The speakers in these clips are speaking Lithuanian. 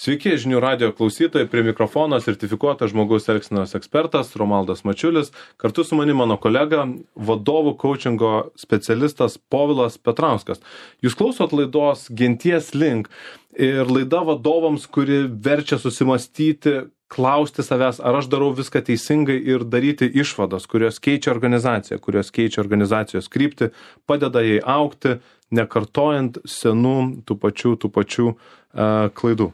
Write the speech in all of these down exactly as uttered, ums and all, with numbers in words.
Sveiki, žinių radijo klausytojai, prie mikrofono sertifikuotas žmogaus elgsenos ekspertas Romaldas Mačiulis, kartu su manimi mano kolega, vadovų coachingo specialistas Povilas Petrauskas. Jūs klausot laidos Genties link ir laida vadovams, kuri verčia susimastyti, klausti savęs, ar aš darau viską teisingai ir daryti išvadas, kurios keičia organizaciją, kurios keičia organizacijos kryptį, padeda jai augti, nekartojant senų tų pačių, tų pačių uh, klaidų.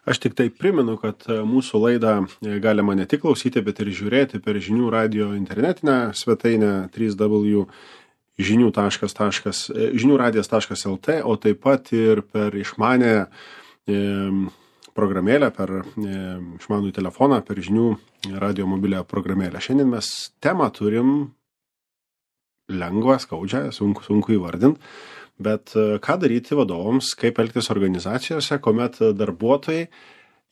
Aš tik tai primenu, kad mūsų laidą galima ne tik klausyti, bet ir žiūrėti per žinių radio internetinę svetainę w w w taškas žinių radijas taškas l t, o taip pat ir per išmanę e, programėlę, per e, išmanų telefoną, per žinių radio mobilią programėlę. Šiandien mes temą turim lengvą, skaudžią, sunku, sunku įvardinti. Bet ką daryti vadovams, kaip elgtis organizacijose, kuomet darbuotojai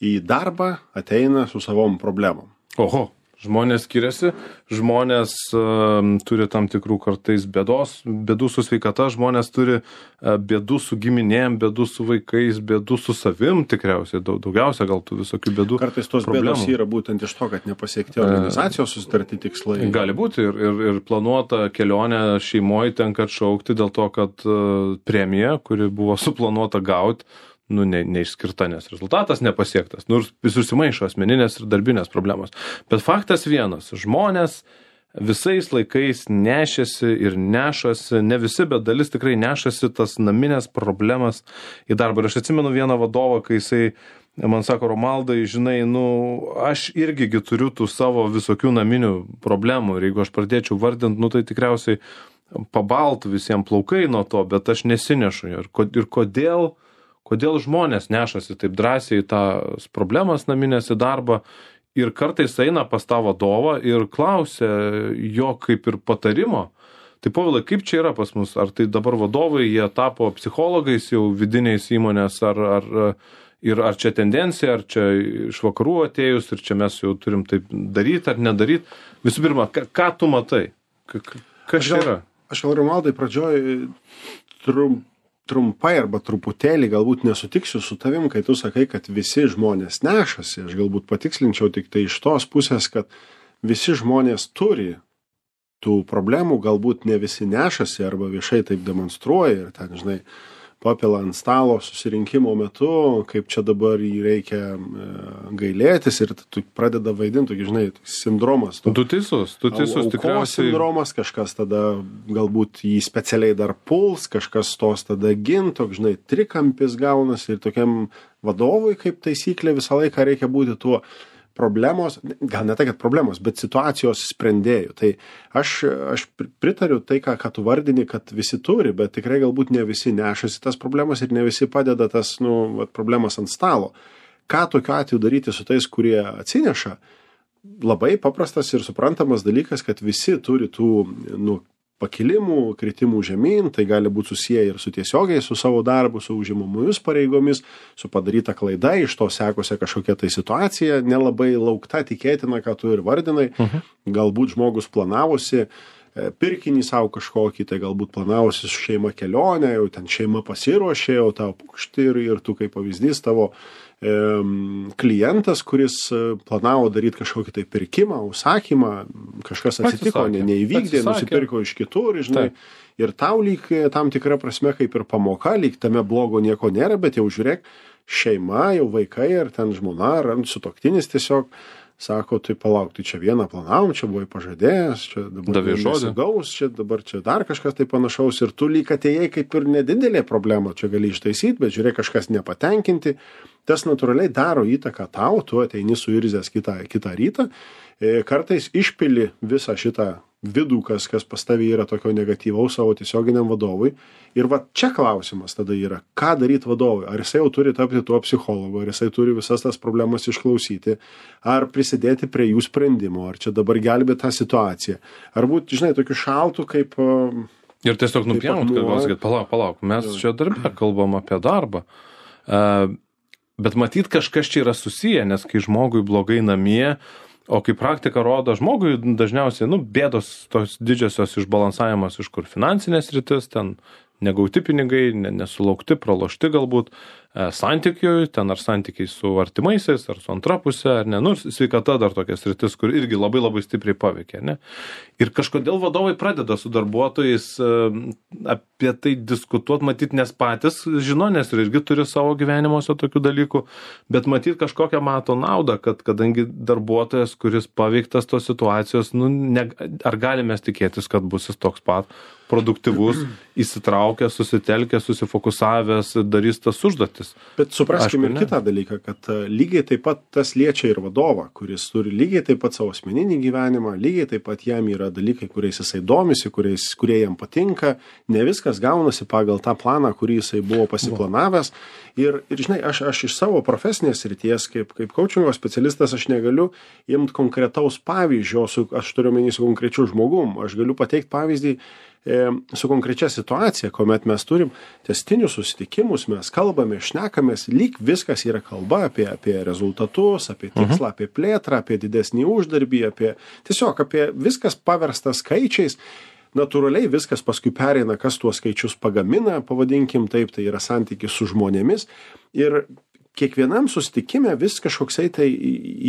į darbą ateina su savom problemom. Oho, žmonės skiriasi, žmonės uh, turi tam tikrų kartais bėdos, bėdų su sveikata, žmonės turi uh, bėdų su giminėm, bėdų su vaikais, bėdų su savim tikriausiai, daug, daugiausia gal tų visokių bėdų. Kartais tos problemų. Bėdos yra būtent iš to, kad nepasiekti organizacijos susitarti tikslai. Gali būti ir, ir, ir planuota kelionė šeimoje tenka atšaukti dėl to, kad uh, premija, kuri buvo suplanuota gauti, nu, ne, neišskirta, nes rezultatas nepasiektas. Nu, ir susimaišo asmeninės ir darbinės problemos. Bet faktas vienas, žmonės visais laikais nešėsi ir nešasi, ne visi, bet dalis tikrai nešasi tas naminės problemas į darbą. Ir aš atsimenu vieną vadovą, kai jisai man sako, Romaldai, žinai, nu, aš irgi turiu tų savo visokių naminių problemų. Ir jeigu aš pradėčiau vardinti, nu, tai tikriausiai pabaltų visiems plaukai nuo to, bet aš nesinešu. Ir, ir kodėl Kodėl žmonės nešasi taip drąsiai tas problemas naminės į darbą ir kartais eina pas tą vadovą ir klausia jo kaip ir patarimo. Tai Povilai, kaip čia yra pas mus? Ar tai dabar vadovai, jie tapo psichologais jau vidiniais įmonės, ar, ar, ir ar čia tendencija, ar čia iš vakarų atėjus ir čia mes jau turim taip daryti ar nedaryti? Visų pirma, ką, ką tu matai? Kas čia yra? Aš gal, Romaldai, pradžioj trump trumpai arba truputėlį galbūt nesutiksiu su tavim, kai tu sakai, kad visi žmonės nešasi. Aš galbūt patikslinčiau tik tai iš tos pusės, kad visi žmonės turi tų problemų, galbūt ne visi nešasi arba viešai taip demonstruoja ir ten, žinai, papila ant stalo susirinkimo metu, kaip čia dabar jį reikia e, gailėtis ir tu pradeda vaidinti, žinai, sindromas. Tu, tu teisus, tu teisus, tikriausiai. Sindromas, kažkas tada galbūt jį specialiai dar puls, kažkas tos tada ginto, žinai, trikampis gaunasi ir tokiam vadovui kaip taisyklė visą laiką reikia būti tuo problemos, gal ne tai, kad problemos, bet situacijos sprendėjų. Tai aš, aš pritariu tai, ką, ką tu vardini, kad visi turi, bet tikrai galbūt ne visi nešasi tas problemas ir ne visi padeda tas, nu, vat, problemas ant stalo. Ką tokiu atveju daryti su tais, kurie atsineša? Labai paprastas ir suprantamas dalykas, kad visi turi tų, nu, pakilimų, kritimų žemyn, tai gali būti susiję ir su tiesiogiai, su savo darbu, su užimamomis pareigomis, su padaryta klaida, iš to sekusia kažkokia tai situacija, nelabai laukta, tikėtina, ką tu ir vardinai. Uh-huh. Galbūt žmogus planavosi pirkinį savo kažkokį, tai galbūt planavosi su šeima kelionę, jau ten šeima pasiruošė, jau tau pukšti ir, ir tu kaip pavyzdys tavo e, klientas, kuris planavo daryti kažkokį tai pirkimą, užsakymą, kažkas atsitiko, ne, neįvykdė, nusipirko iš kitur, žinai, taip. Ir tau lyg tam tikra prasme kaip ir pamoka, lyg tame blogo nieko nėra, bet jau žiūrėk, šeima, jau vaikai ar ten žmona, ar sutuoktinis tiesiog sako, tai palauk, tai čia vieną planavom, čia buvai pažadėjęs, čia dabar nesigaus, čia dabar čia dar kažkas tai panašaus ir tu lyg atėjai kaip ir nedidelė problema, čia gali ištaisyti, bet žiūrėk, kažkas nepatenkinti, tas natūraliai daro įtaką tau, tu ateini suirzęs kitą, kitą rytą, kartais išpili visą šitą vidų, kas, kas pas tavį yra tokio negatyvaus savo tiesioginiam vadovui. Ir va čia klausimas tada yra, ką daryti vadovui? Ar jisai jau turi tapti tuo psichologu, ar jisai turi visas tas problemas išklausyti, ar prisidėti prie jų sprendimo, ar čia dabar gelbėti tą situaciją. Ar būti, žinai, tokiu šaltu kaip... Ir tiesiog nupjaunut, kad gal sakyt, palauk, palauk, mes čia darbę kalbam apie darbą. Uh, bet matyt, kažkas čia yra susiję, nes kai žmogui blogai namie, o kai praktika rodo, žmogui dažniausiai, nu, bėdos tos didžiosios išbalansavimas, iš kur finansinės rytis, ten negauti pinigai, nesulaukti, pralošti galbūt, santykiui, ten ar santykiai su artimaisiais, ar su antra pusė, ar ne, nu, sveikata dar tokia sritis, kur irgi labai labai stipriai paveikia, ne. Ir kažkodėl vadovai pradeda su darbuotojais apie tai diskutuoti, matyt, nes patys žino, nes ir irgi turi savo gyvenimuose tokių dalykų, bet matyt kažkokią mato naudą, kad kadangi darbuotojas, kuris paveiktas tos situacijos, nu, ne, ar galime tikėtis, kad bus jis toks pat produktyvus, įsitraukęs, susitelkęs, susifokusavęs, darys tas užduotis. Bet supraskime ir kitą dalyką, kad lygiai taip pat tas liečia ir vadovą, kuris turi lygiai taip pat savo asmeninį gyvenimą, lygiai taip pat jam yra dalykai, kuriais jisai domisi, kuriais, kurie jam patinka, ne viskas gaunasi pagal tą planą, kurį jisai buvo pasiplanavęs. Ir, ir žinai, aš, aš iš savo profesinės srities, kaip, kaip coachingo specialistas, aš negaliu imti konkretaus pavyzdžio, su, aš turiu menį su konkrečiu žmogum, aš galiu pateikti pavyzdį su konkrečia situacija, kuomet mes turim tęstinius susitikimus, mes kalbame, šnekamės, lyg viskas yra kalba apie, apie rezultatus, apie tikslą, mhm. apie plėtrą, apie didesnį uždarbį, apie tiesiog apie viskas paversta skaičiais. Natūraliai viskas paskui pereina, kas tuos skaičius pagamina, pavadinkim taip, tai yra santykis su žmonėmis. Ir kiekvienam susitikime vis kažkoksai tai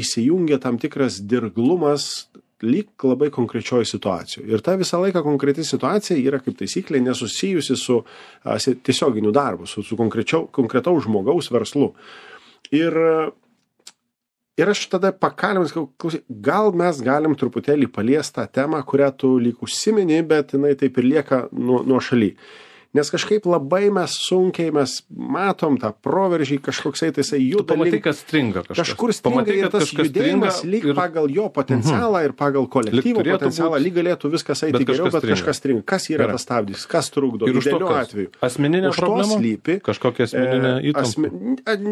įsijungia tam tikras dirglumas, lyg labai konkrečioje situacijoje. Ir ta visą laiką konkreti situacija yra kaip taisyklė nesusijusi su a, tiesioginiu darbu, su, su konkretaus žmogaus verslu. Ir, ir aš tada pakalbėjau, klausyk, gal mes galim truputėlį paliesti tą temą, kurią tu lyg užsimeni, bet jinai taip ir lieka nuo, nuo šaly. Nes kažkaip labai mes sunkiai, mes matom tą proveržį, kažkoksai tai jisai juda. Tu pamatai, kad stringa kažkas. Kažkur stringa pamatai, ir tas judėjimas lyg ir pagal jo potencialą uh-huh. ir pagal kolektyvo potencialą būt... lyg galėtų viskas eiti geriau, bet stringa. Kažkas stringa. Kas yra Gerai. Tas stabdys, kas trukdo, idealiu atveju. Asmeninė problema? Slypi, kažkokia asmeninė įtampa? Asme...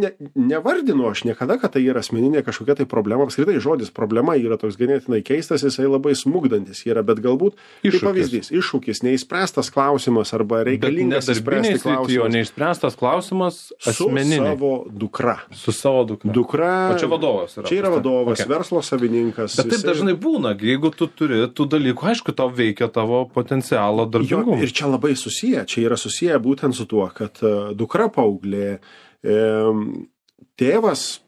Ne, nevardinu aš niekada, kad tai yra asmeninė kažkokia tai problema. Apskritai žodis problema yra toks ganėtinai keistas, jisai labai smugdantis yra, bet galbūt kaip pavyzdys, iššūkis, neįspręstas klausimas arba reikia nedarbiniai srityje, neišspręstas klausimas asmeniniai. Su savo dukra. Su savo dukra. Dukra. O čia vadovas yra. Čia yra vadovas, okay. Verslo savininkas. Bet taip jisai... dažnai būna, jeigu tu turi tų dalykų, aišku, tau veikia tavo potencialo darbingumą. Ir čia labai susiję, čia yra susiję būtent su tuo, kad dukra paauglė, e, tėvas,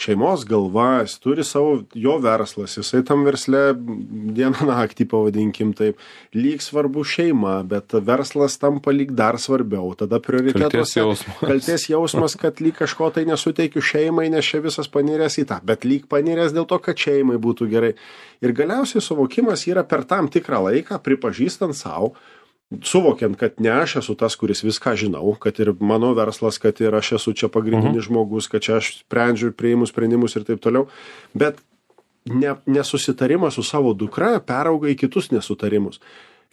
šeimos galva, jis turi savo, jo verslas, jisai tam versle dieną naktį, pavadinkim taip, lyg svarbu šeima, bet verslas tampa lyg dar svarbiau, tada prioritetuose kaltės jausmas, kaltės jausmas kad lyg kažko tai nesuteikiu šeimai, nes čia visas paniręs į tą, bet lyg paniręs dėl to, kad šeimai būtų gerai. Ir galiausiai suvokimas yra per tam tikrą laiką, pripažįstant savo, suvokiant, kad ne aš esu tas, kuris viską žinau, kad ir mano verslas, kad ir aš esu čia pagrindinis uh-huh. žmogus, kad čia aš sprendžiu ir priimu sprendimus ir taip toliau, bet ne, nesusitarimas su savo dukra perauga į kitus nesutarimus.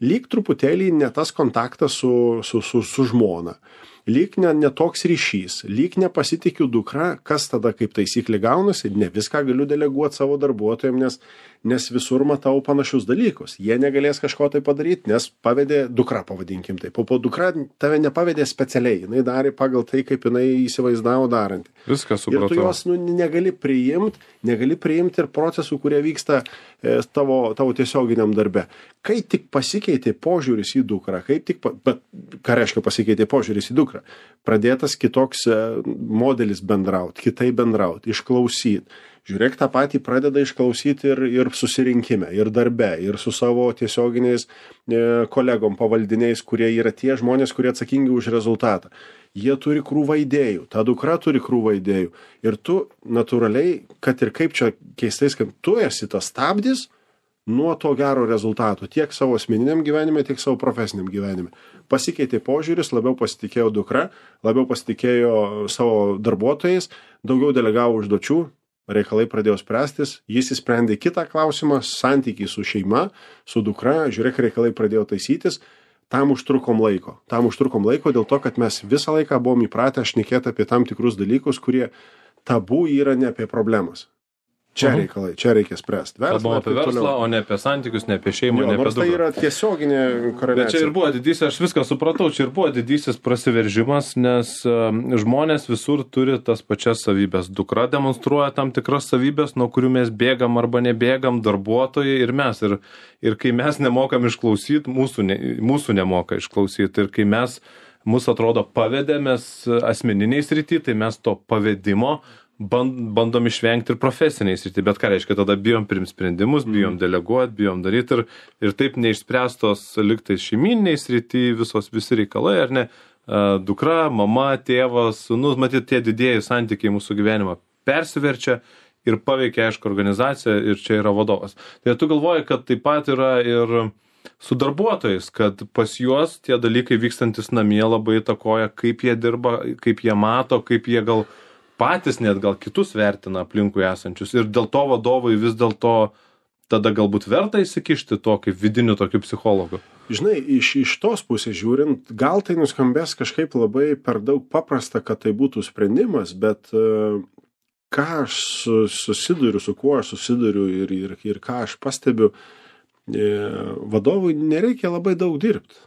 Lyg truputėlį ne tas kontaktas su, su, su, su žmona, lyg ne, ne toks ryšys, lyg nepasitikiu dukra, kas tada kaip taisyklė gaunasi, ne viską galiu deleguoti savo darbuotojams, nes, nes visur matau panašius dalykus. Jie negalės kažko tai padaryti, nes pavedė dukra, pavadinkim taip. O po dukra tave nepavedė specialiai, jinai darė pagal tai, kaip jinai įsivaizdavo darantį. Viską supratau. Ir tu jos nu, negali priimti, negali priimti ir procesų, kurie vyksta e, tavo, tavo tiesioginiam darbe. Kai tik pasikeitė požiūris į dukrą, kaip tik, pa, bet ką reiškia pasikeitė požiūris į dukrą? Pradėtas kitoks modelis bendrauti, kitai bendrauti, išklausyti. Žiūrėk, tą patį pradeda išklausyti ir, ir susirinkime, ir darbe, ir su savo tiesioginiais e, kolegom, pavaldiniais, kurie yra tie žmonės, kurie atsakingi už rezultatą. Jie turi krūvą idėjų, ta dukra turi krūvą idėjų. Ir tu natūraliai, kad ir kaip čia keistais, kad tu esi tas stabdis nuo to gero rezultato, tiek savo asmeniniam gyvenime, tiek savo profesiniam gyvenime. Pasikeitė požiūris, labiau pasitikėjo dukra, labiau pasitikėjo savo darbuotojais, daugiau delegavo užduočių, reikalai pradėjo spręstis, jis įsprendė kitą klausimą, santykiai su šeima, su dukra, žiūrėk, reikalai pradėjo taisytis, tam užtrukom laiko. Tam užtrukom laiko dėl to, kad mes visą laiką buvom įpratę šnekėti apie tam tikrus dalykus, kurie tabu yra ne apie problemas. Čia uh-huh. reikalai, čia reikia spręsti. Kalbam apie verslą, toliau. O ne apie santykius, ne apie šeimą, jo, ne apie dukrą. Tai yra tiesioginė koreliacija. Bet čia ir buvo didysis, aš viską supratau, čia ir buvo didysis prasiveržimas, nes um, žmonės visur turi tas pačias savybės. Dukra demonstruoja tam tikras savybės, nuo kurių mes bėgam arba nebėgam, darbuotojai ir mes. Ir, ir kai mes nemokam išklausyti, mūsų, ne, mūsų nemoka išklausyti. Ir kai mes mus atrodo pavedė, mes asmeniniai srity, tai mes to pavedimo bandom išvengti ir profesiniai srity. Bet ką reiškia, tada bijom priimt sprendimus, bijom deleguoti, bijom daryti ir, ir taip neišspręstos liktai šeiminiai srity visos visi reikalai, ar ne? Dukra, mama, tėvas, sūnus, matyt, tie didieji santykiai mūsų gyvenimą persiverčia ir paveikia, aišku, organizaciją ir čia yra vadovas. Tai tu galvoji, kad taip pat yra ir su darbuotojais, kad pas juos tie dalykai vykstantis namie labai įtakoja, kaip jie dirba, kaip jie mato, kaip jie gal patys net gal kitus vertina aplinkui esančius. Ir dėl to vadovai vis dėlto tada galbūt verta įsikišti to kaip vidiniu tokiu psichologu. Žinai, iš, iš tos pusės žiūrint, gal tai nuskambės kažkaip labai per daug paprasta, kad tai būtų sprendimas, bet uh, ką aš susiduriu, su kuo aš susiduriu ir, ir, ir ką aš pastebiu, e, vadovui nereikia labai daug dirbti,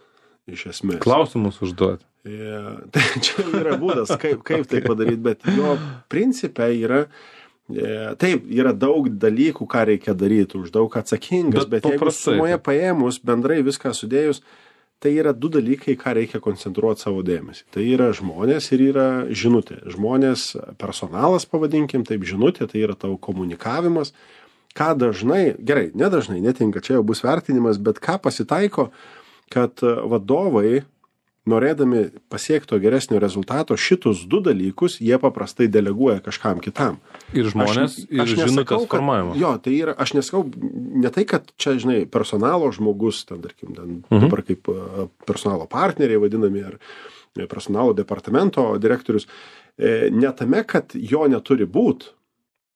iš esmės. Klausimus užduoti. E, tai čia yra būdas, kaip, kaip tai padaryti, bet jo principe yra, e, taip, yra daug dalykų, ką reikia daryti, už daug atsakingas, bet, bet jeigu sumoje paėmus, bendrai viską sudėjus, tai yra du dalykai, ką reikia koncentruoti savo dėmesį. Tai yra žmonės ir yra žinutė. Žmonės, personalas pavadinkim, taip žinutė, tai yra tavo komunikavimas. Ką dažnai, gerai, nedažnai, netinka, čia jau bus vertinimas, bet ką pasitaiko, kad vadovai, norėdami pasiekto geresnio rezultato, šitus du dalykus jie paprastai deleguoja kažkam kitam. Ir žmonės, aš, ir aš žinutės formavimo. Jo, tai yra, aš nesakau, ne tai, kad čia, žinai, personalo žmogus, ten, tarkim, ten, mhm. dabar kaip personalo partneriai vadinami, ar personalo departamento direktorius, ne tame, kad jo neturi būt,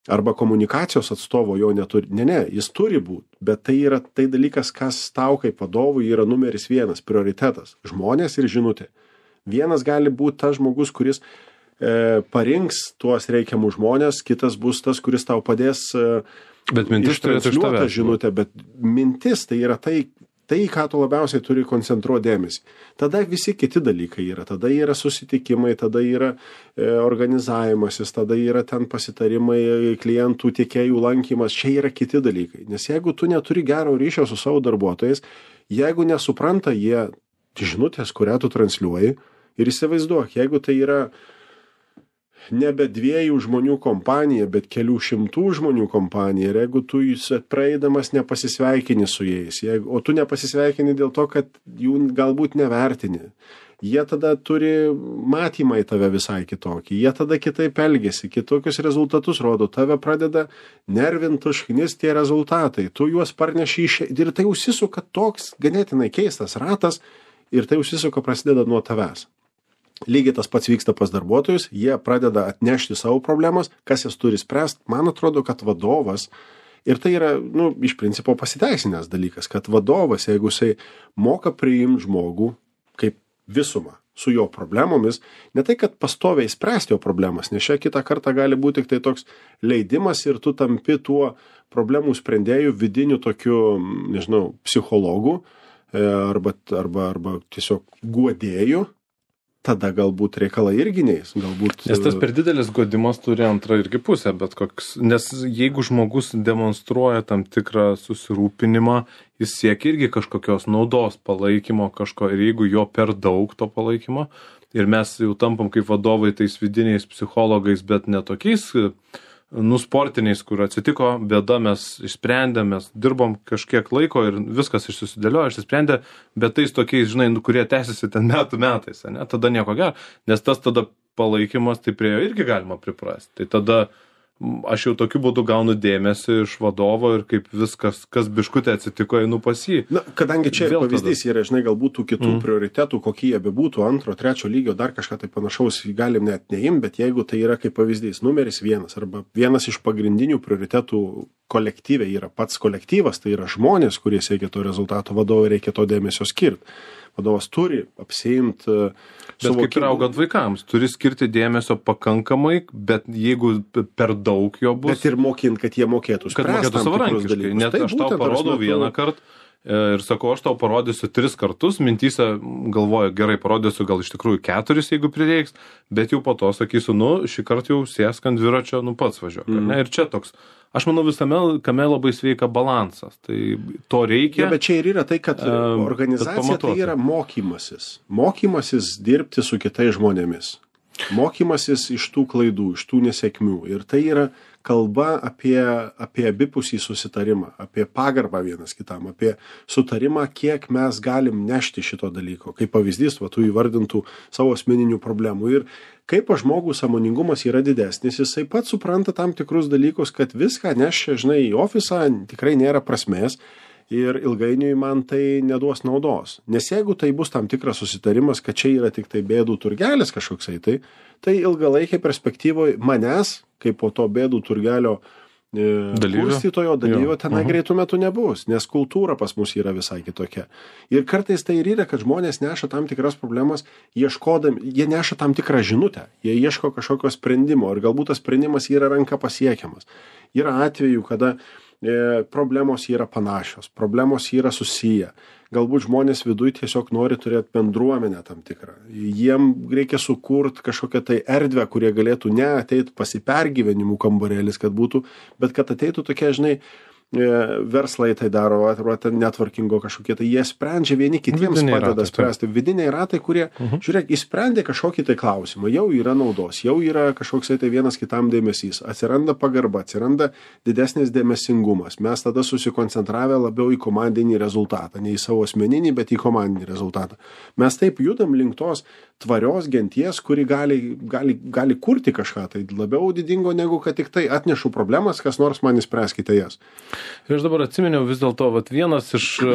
arba komunikacijos atstovo jo neturi. Ne, ne, jis turi būti, bet tai yra tai dalykas, kas tau kaip vadovui yra numeris vienas, prioritetas. Žmonės ir žinutė. Vienas gali būti tas žmogus, kuris e, parinks tuos reikiamus žmonės, kitas bus tas, kuris tau padės e, ištransliuoti tą žinutę, bet mintis tai yra tai, tai, ką tu labiausiai turi koncentruoti dėmesį. Tada visi kiti dalykai yra. Tada yra susitikimai, tada yra e, organizavimasis, tada yra ten pasitarimai, klientų, tiekėjų lankymas. Čia yra kiti dalykai. Nes jeigu tu neturi gero ryšio su savo darbuotojais, jeigu nesupranta jie žinutės, kurią tu transliuoji, ir įsivaizduok, jeigu tai yra nebe dviejų žmonių kompanija, bet kelių šimtų žmonių kompanija, ir jeigu tu praeidamas nepasisveikini su jais, jeigu, o tu nepasisveikini dėl to, kad jų galbūt nevertini, jie tada turi matymą į tave visai kitokį, jie tada kitaip elgesi, kitokius rezultatus rodo, tave pradeda nervinti, užknis tie rezultatai, tu juos parneši iš... ir tai užsisuka toks ganėtinai keistas ratas, ir tai užsisuka prasideda nuo tavęs. Lygiai tas pats vyksta pas darbuotojus, jie pradeda atnešti savo problemas, kas jas turi spręsti. Man atrodo, kad vadovas, ir tai yra, nu, iš principo pasiteisinęs dalykas, kad vadovas, jeigu jisai moka priimti žmogų kaip visumą su jo problemomis, ne tai, kad pastoviai spręsti jo problemas, nes čia kitą kartą gali būti tik tai toks leidimas ir tu tampi tuo problemų sprendėjų vidiniu tokiu, nežinau, psichologu arba, arba, arba tiesiog guodėju. Tada galbūt reikalai irgi neis. Galbūt... Nes tas per didelis guodimas turi antrą irgi pusę, bet koks... Nes jeigu žmogus demonstruoja tam tikrą susirūpinimą, jis siekia irgi kažkokios naudos palaikymo kažko, ir jeigu jo per daug to palaikymo, ir mes jau tampam kaip vadovai tais vidiniais psichologais, bet ne tokiais, nu, sportiniais, kur atsitiko bėda, mes išsprendėm, mes dirbom kažkiek laiko ir viskas išsusidėliojo, išsisprendė, bet tais tokiais, žinai, kurie tęsiasi ten metų metais, ne, tada nieko gero, nes tas tada palaikymas, tai prie jo irgi galima priprasti. Tai tada aš jau tokiu būdu gaunu dėmesį iš vadovo ir kaip viskas, kas biškutė atsitiko, einu pas jį. Na, kadangi čia vėl pavyzdys tada yra, žinai, galbūt tų kitų mm. prioritetų, kokie jie bebūtų, antro, trečio lygio, dar kažką tai panašaus galim net neimti, bet jeigu tai yra kaip pavyzdys numeris vienas arba vienas iš pagrindinių prioritetų kolektyve yra pats kolektyvas, tai yra žmonės, kurie siekia to rezultato, vadovui reikia to dėmesio skirti. Vadovas turi apsiimti Bet suvokimą. Kaip ir augant vaikams, turi skirti dėmesio pakankamai, bet jeigu per daug jo bus... Bet ir mokint, kad jie mokėtų spręsti. Kad mokėtų savarankiškai. Net aš tau parodau vieną kartą ir sakau, aš tau parodysiu tris kartus, mintyse galvoju, gerai, parodysiu gal iš tikrųjų keturis, jeigu prireiks, bet jau po to sakysiu, nu, šį kartą jau sėsk ant dviračio, nu pats važiuok. Mm. Ir čia toks, aš manau, visame kame labai sveika balansas, tai to reikia. Ja, bet čia ir yra tai, kad um, organizacija tai yra mokymasis. Mokymasis dirbti su kitais žmonėmis. Mokymasis iš tų klaidų, iš tų nesėkmių. Ir tai yra kalba apie, apie abipusį susitarimą, apie pagarbą vienas kitam, apie sutarimą, kiek mes galim nešti šito dalyko. Kaip pavyzdys, va, tų įvardintų savo asmeninių problemų. Ir kaip žmogus sąmoningumas yra didesnis, jisai pats supranta tam tikrus dalykus, kad viską nešia, žinai, į ofisą, tikrai nėra prasmės. Ir ilgainiui man tai neduos naudos. Nes jeigu tai bus tam tikras susitarimas, kad čia yra tik tai bėdų turgelis kažkoksai, tai, tai ilgalaikiai perspektyvoje manęs, kaip po to bėdų turgelio e, kurstytojo dalyvio, tenai greitų metų nebus, nes kultūra pas mus yra visai kitokia. Ir kartais tai ir yra, kad žmonės neša tam tikras problemas, ieškodami, jie neša tam tikrą žinutę, jie ieško kažkokio sprendimo ir galbūt tas sprendimas yra ranka pasiekiamas. Yra atvejų, kada problemos yra panašios, problemos yra susiję. Galbūt žmonės viduj tiesiog nori turėti bendruomenę tam tikrą. Jiem reikia sukurti kažkokią tai erdvę, kurie galėtų ne ateit pasipergyvenimų kambarėlis, kad būtų, bet kad ateitų tokie, žinai, verslai tai daro, arba networkingo kažkokie, tai jie sprendžia vieni kitiems vidiniai padeda ratai, spręsti. Vidiniai ratai, kurie, uh-huh. žiūrėk, įsprendė kažkokį tai klausimą, jau yra naudos, jau yra kažkoks tai vienas kitam dėmesys, atsiranda pagarba, atsiranda didesnis dėmesingumas. Mes tada susikoncentravę labiau į komandinį rezultatą, ne į savo asmeninį, bet į komandinį rezultatą. Mes taip judam link tos tvarios genties, kuri gali, gali, gali kurti kažką, tai labiau didingo negu kad tik tai atnešu problemas, kas nors man įspręskite jas. Ir aš dabar atsiminiau vis dėlto, vat vienas iš e,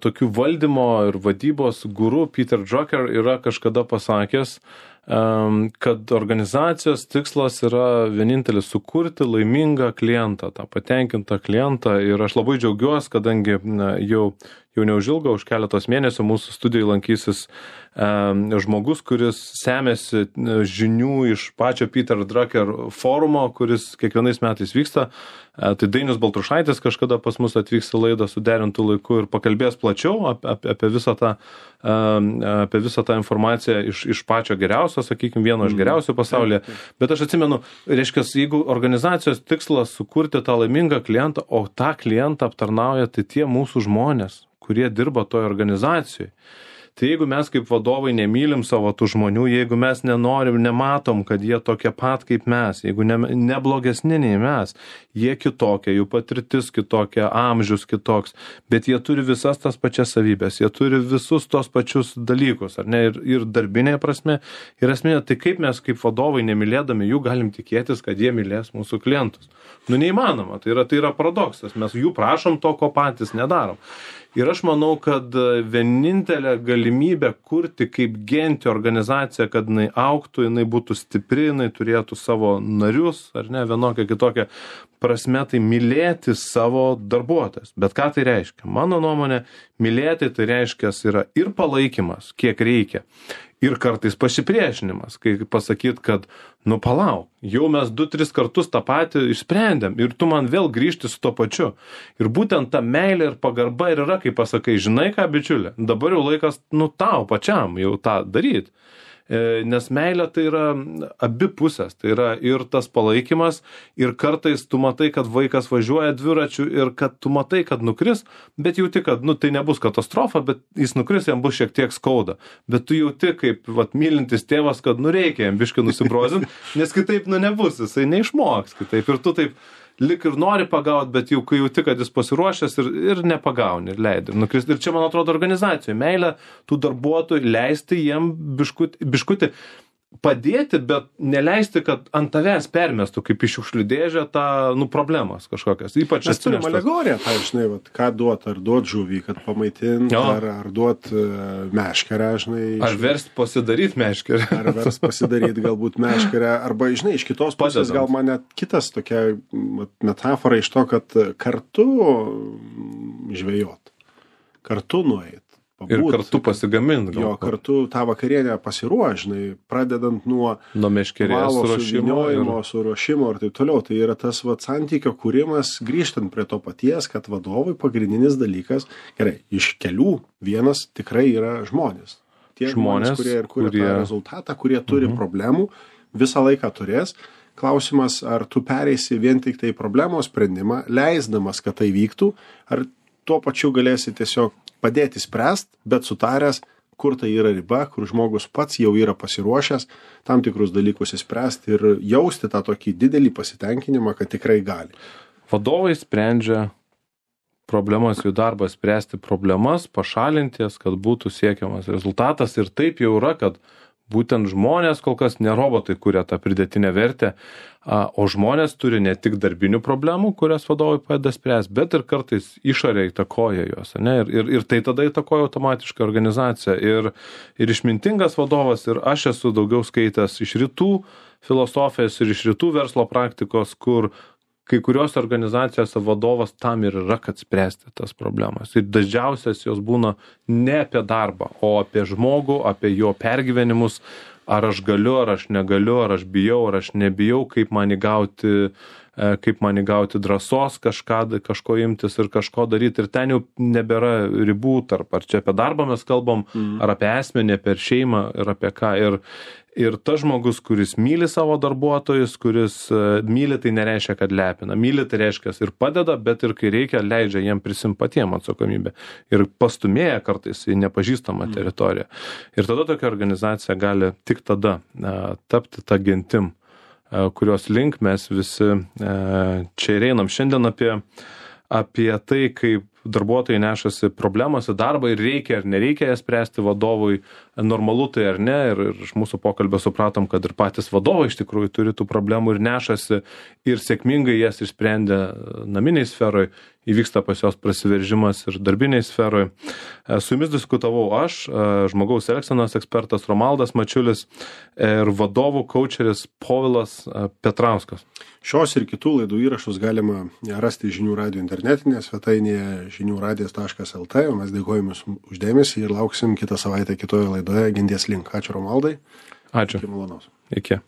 tokių valdymo ir vadybos guru, Peter Drucker, yra kažkada pasakęs, e, kad organizacijos tikslas yra vienintelis sukurti laimingą klientą, tą patenkintą klientą. Ir aš labai džiaugiuosi, kadangi na, jau, jau neužilgo, už keletos mėnesių mūsų studijai lankysis e, žmogus, kuris semėsi žinių iš pačio Peter Drucker forumo, kuris kiekvienais metais vyksta. Tai Dainius Baltrušaitis kažkada pas mus atvyks į laidą suderintų laiku ir pakalbės plačiau apie, apie, apie, visą tą, apie visą tą informaciją iš, iš pačio geriausio, sakykime, vieno iš geriausių pasaulyje. Bet aš atsimenu, reiškia, jeigu organizacijos tikslas sukurti tą laimingą klientą, o tą klientą aptarnauja tai tie mūsų žmonės, kurie dirba toje organizacijoje. Tai jeigu mes kaip vadovai nemylim savo tų žmonių, jeigu mes nenorim, nematom, kad jie tokie pat kaip mes, jeigu ne, ne blogesni nei mes, jie kitokie, jų patirtis kitokia, amžius kitoks, bet jie turi visas tas pačias savybės, jie turi visus tos pačius dalykus, ar ne, ir, ir darbinėje prasme, ir esminė, tai kaip mes kaip vadovai nemylėdami jų galim tikėtis, kad jie mylės mūsų klientus. Nu, neįmanoma, tai yra, tai yra paradoksas, mes jų prašom to, ko patys nedarom. Ir aš manau, kad vienintelė galimybė kurti kaip gentį organizaciją, kad jinai augtų, jinai būtų stipri, jinai turėtų savo narius, ar ne, vienokią kitokią prasme, tai mylėti savo darbuotojas. Bet ką tai reiškia? Mano nuomonė, mylėti tai reiškia yra ir palaikymas, kiek reikia, ir kartais pasipriešinimas, kai pasakyt, kad, nu palauk, jau mes du, tris kartus tą patį išsprendėm ir tu man vėl grįžti su to pačiu. Ir būtent ta meilė ir pagarba ir yra, kai pasakai, žinai ką, bičiulė, dabar jau laikas, nu tau pačiam jau tą daryti. Nes meilė tai yra abi pusės, tai yra ir tas palaikymas, ir kartais tu matai, kad vaikas važiuoja dviračiu ir kad tu matai, kad nukris, bet jauti, kad nu, tai nebus katastrofa, bet jis nukris, jam bus šiek tiek skauda. Bet tu jauti, kaip vat, mylintis tėvas, kad nu reikia jam biškį nusibrozint, nes kitaip nu nebus, jisai neišmoks kitaip. Ir tu taip lik ir nori pagaut, bet jau kai jauti, kad jis pasiruošęs ir, ir nepagauni, ir leidi. Ir čia, man atrodo, organizacijų meilė tų darbuotojų, leisti jiem biškutį, biškutį padėti, bet neleisti, kad ant tavęs permestų kaip iš šiukšlių dėžę tą, nu, problemas kažkokias. Ypač mes turim alegoriją, tai žinai, vat, ką duot, ar duot žuvį, kad pamaitint, ar, ar duot uh, meškerę, žinai. Ar verst pasidaryt meškerę. Ar verst pasidaryt galbūt meškerę, arba, žinai, iš kitos pusės gal man net kitas tokia metafora iš to, kad kartu žvejot, kartu nueit, pabūt. Ir kartu pasigamint. Jo, kartu tą vakarienę pasiruožinai, pradedant nuo, nuo meškerės suruošimo ir... suruošimo ir taip toliau. Tai yra tas vat, santykio kūrimas, grįžtant prie to paties, kad vadovui pagrindinis dalykas, gerai, iš kelių vienas tikrai yra žmonės. Tie žmonės, žmonės kurie ir kuria kurie... tą rezultatą, kurie turi mhm. problemų, visą laiką turės. Klausimas, ar tu pereisi vien tik tai problemos sprendimą, leisdamas, kad tai vyktų, ar tuo pačiu galėsi tiesiog padėti spręst, bet sutaręs, kur tai yra riba, kur žmogus pats jau yra pasiruošęs tam tikrus dalykus įspręsti ir jausti tą tokį didelį pasitenkinimą, kad tikrai gali. Vadovai sprendžia problemas, jų darbas spręsti problemas, pašalinti jas, kad būtų siekiamas rezultatas. Ir taip jau yra, kad būtent žmonės kol kas ne robotai kuria tą pridėtinę vertę, o žmonės turi ne tik darbinių problemų, kurias vadovai padeda spręsti, bet ir kartais išorė įtakoja juos. Ne? Ir, ir, ir tai tada įtakoja automatiškai organizaciją. Ir, ir išmintingas vadovas, ir aš esu daugiau skaitęs iš rytų filosofijos ir iš rytų verslo praktikos, kur kai kurios organizacijose vadovas tam ir yra, kad spręsti tas problemas. Ir dažniausias jos būna ne apie darbą, o apie žmogų, apie jo pergyvenimus, ar aš galiu, ar aš negaliu, ar aš bijau, ar aš nebijau, kaip man įgauti, kaip man įgauti drąsos kažką, kažko imtis ir kažko daryti. Ir ten jau nebėra ribų tarp, ar čia apie darbą mes kalbam, mm. ar apie asmenį, apie šeimą ir apie ką. Ir, Ir tas žmogus, kuris myli savo darbuotojus, kuris myli, tai nereiškia, kad lepina. Myli, tai reiškia ir padeda, bet ir kai reikia, leidžia jiem prisimti patiem atsakomybę. Ir pastumėja kartais į nepažįstamą teritoriją. Ir tada tokia organizacija gali tik tada a, tapti tą gentim, a, kurios link mes visi a, čia ir einam. Šiandien apie, apie tai, kaip darbuotojai nešasi problemas į darbą ir reikia ar nereikia jas spręsti vadovui, normalu tai ar ne. Ir, ir iš mūsų pokalbio supratom, kad ir patys vadovai iš tikrųjų turi tų problemų ir nešasi ir sėkmingai jas išsprendė naminiai sferoj, įvyksta pas jos prasiveržimas ir darbiniai sferoj. Su jumis diskutavau aš, žmogaus elgsenos ekspertas Romaldas Mačiulis ir vadovų kaučeris Povilas Petrauskas. Šios ir kitų laidų įrašus galima rasti žinių radijo internetinėje svetainėje žinių radijas taškas el tė, o mes dėkojame jums už dėmesį ir lauksim kitą savaitę kitoje laidoje Ginties link. Ačiū Romaldai. Ačiū. Iki malonaus. Iki.